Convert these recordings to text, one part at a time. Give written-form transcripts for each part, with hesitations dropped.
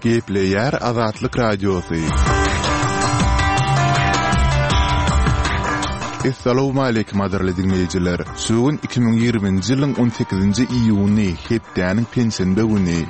Gepleýär Azatlyk Radiosy. Essalawmaleýkim gadyrly diňleýjiler! Şu gün 2020-nji ýylyň 18-nji iýuny, hepdäniň penşenbe güni.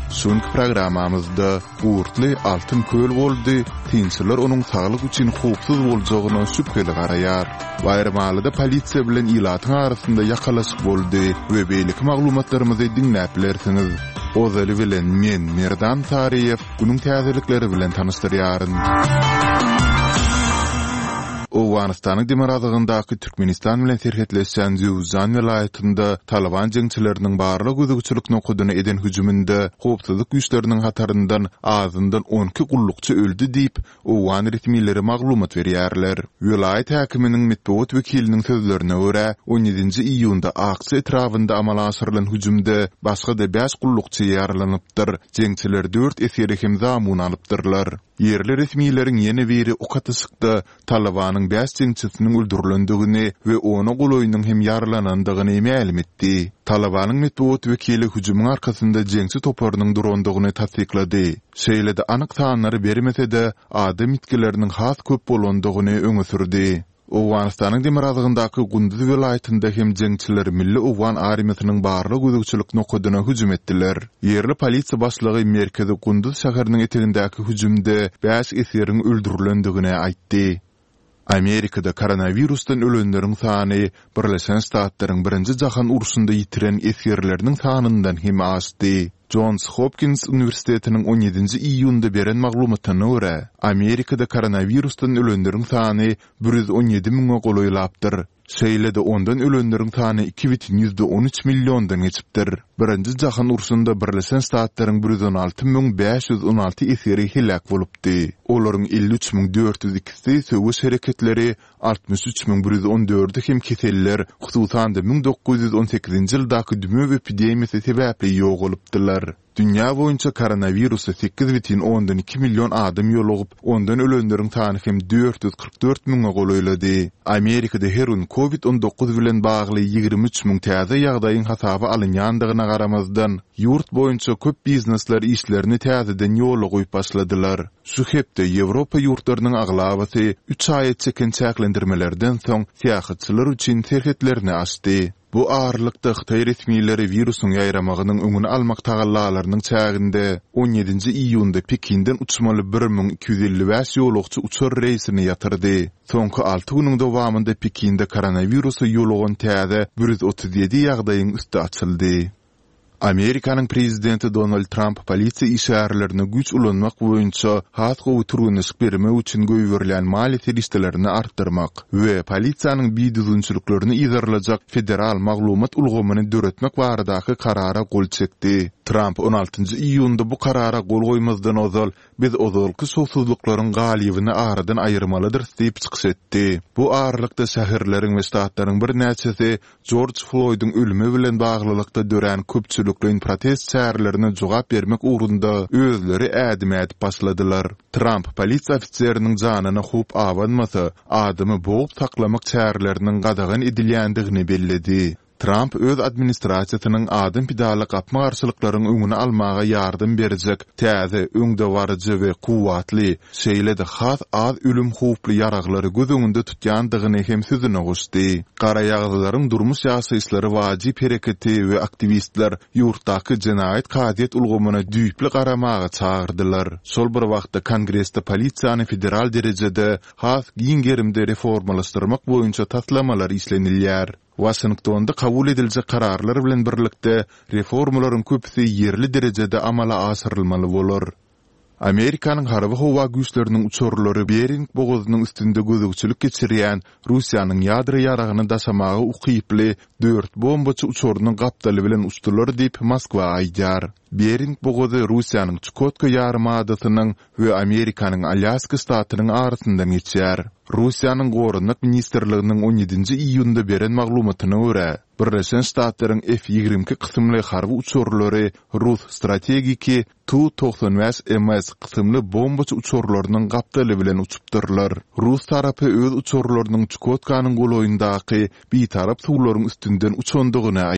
Şu günki programmamyzda Gurtly altyn köl boldy, synçylar onuň saglyk üçin howpsuz boljagyna şübheli garaýar. Baýramalyda polisiýa bilen ilatyň arasynda ýakalaşyk boldy we beýleki maglumatlarymyzy diňläp bilersiňiz. Ozaly bilen men, Merdan Saryýew, günüň täzelikleri bilen tanyşdyrýaryn. Owganystanyň demirgazygyndaky Türkmenistan bilen serhetleşýän Jöwüzjan welaýatynda Talyban jeňçileriniň barlag-gözegçilik nokadyna eden hüjüminde howpsuzlyk güýçleriniň hataryndan azyndan 12 gullukçy öldi diýip, owgan resmileri maglumat berýärler. Welaýat häkiminiň metbugat wekiliniň sözlerine görä, on ýedinji iýunda Akça etrabynda amala aşyrylan hüjümde başga-da bäş gullukçy ýaralanypdyr, jeňçiler dört esgeri hem zamun alypdyrlar. Ýerli resmileriň ýene biri ok atyşykda Talybanyň bäş jeňçisiniň öldürilendigini we ona golaýynyň hem ýaralanandygyny mälim etdi. Talybanyň metbugat wekili hüjümiň arkasynda jeňçi toparynyň durandygyny tassyklady. Şeýle-de anyk sanlary bermese-de, adam ýitgileriniň has köp bolandygyny öňe sürdi. Owganystanyň demirgazygyndaky Gunduz welaýatynda hem jeňçiler Milli owgan armiýasynyň barlag-gözegçilik nokadyna hüjüm etdiler. Ýerli polisiýa başlygy merkezi Gunduz şäheriniň etegindäki hüjümde bäş esgeriň öldürilendigini aýtdy. Amerikada koronawirusdan ölenleriň sany Birleşen Ştatlaryň Birinji jahan urşunda ýitiren esgerleriniň sanyndan hem aşdy. Jons Hopkins uniwersitetiniň on ýedinji iýunda beren maglumatyna görä, Amerikada koronawirusdan ölenleriň sany 117 müňe golaýlapdyr. Şeýle-de ondan ölenleriň sany 2,13 milliondan geçipdir. Birinji jahan urşunda Birleşen Ştatlaryň 116 516 esgeri heläk bolupdy. Olaryň 53 402-si söweş hereketleri, 63 114-i hem keseller, hususan-da 1918-nji ýyldaky dümew epidemiýasy sebäpli ýogalypdylar. Dünýä boýunça koronawirusa 8,2 million adam ýolugyp, ondan ölenleriň sany hem 444 müňe golaýlady. Amerikada her gün Covid 19 bilen bagly 23 müň täze ýagdaýyň hasaba alynýandygyna garamazdan, ýurt boýunça köp biznesler işlerini täzeden ýola goýup başladylar. Şu hepde Ýewropa ýurtlarynyň aglabasy üç aýa çeken çäklendirmelerden soň syýahatçylar üçin serhetlerini açdy. Bu aralykda, hytaý resmileri wirusyň ýaýramagynyň öňüni almak tagallalarynyň çäginde on ýedinji iýunda Pekinden uçmaly 1255 ýolagçy uçar reýsini ýatyrdy. Soňky alty günüň dowamynda Pekinde koronawirusa ýolugan täze 137 ýagdaýyň üsti açyldy. Amerikanyň prezidenti Donald Tramp polisiýa işgärlerine güýç ulanmak boýunça has gowy türgenleşik bermek üçin goýberilýän maliýe serişdelerini artdyrmak we polisiýanyň bidüzgünçiliklerini yzarlajak federal maglumat ulgamyny döretmek baradaky karara gol çekdi. Tramp on altynjy iýunda bu karara gol goýmazdan ozal, Biz ozalky şowsuzlyklaryň galybyny aradan aýyrmalydyrys diýip çykyş etdi. Bu aralykda şäherleriň we ştatlaryň birnäçesi Jorj Floýdyň ölümi bilen baglylykda dörän köpçülikleýin protest çärelerine jogap bermek ugrunda özleri ädim ädip başladylar. Tramp polisiýa ofiseriniň janyna howp abanmasa, adamy bogup saklamak çäreleriniň gadagan edilýändigini belledi. Tramp öz administrasiýasynyň adam pidaly gapma-garşylyklaryň öňüni almaga ýardam berjek täze, öňdebaryjy we kuwwatly, şeýle-de has az ölüm howply ýaraglary göz öňünde tutýandygyny hem sözüne goşdy. Garaýagyzlaryň durmuş ýaşaýyşlary wajyp hereketi we aktiwistler ýurtdaky jenaýat kazyýet ulgamyna düýpli garamaga çagyrdylar. Şol bir wagtda Kongresde polisiýany federal derejede has giň gerimde reformalaşdyrmak boýunça taslamalar işlenilýär. Waşingtonda kabul ediljek kararlar bilen birlikde, reformalaryň köpüsi ýerli derejede amala aşyrylmaly bolar. Amerikanyň harby-howa güýçleriniň uçarlary Bering bogazynyň üstünde gözegçilik geçirýän Russiýanyň ýadro ýaragyny daşamaga ukyply dört bombaçy uçarynyň gapdaly bilen uçdular diýip, Moskwa aýdýar. Bering bogazy Russiýanyň Çukotka ýarymadasynyň we Amerikanyň Alýaska ştatynyň arasyndan geçýär. Russiýanyň Goranmak ministrliginiň on ýedinji iýunda beren maglumatyna görä, Birleşen Ştatlaryň F-22 kysymly harby uçarlary rus strategiki Tu 95 MS kysymly bombaçy uçarlarynyň gapdaly bilen uçupdyrlar. Rus tarapy öz uçarlarynyň Çukotkanyň golaýyndaky bitarap suwlaryň üstünden uçandygyny aýdýar.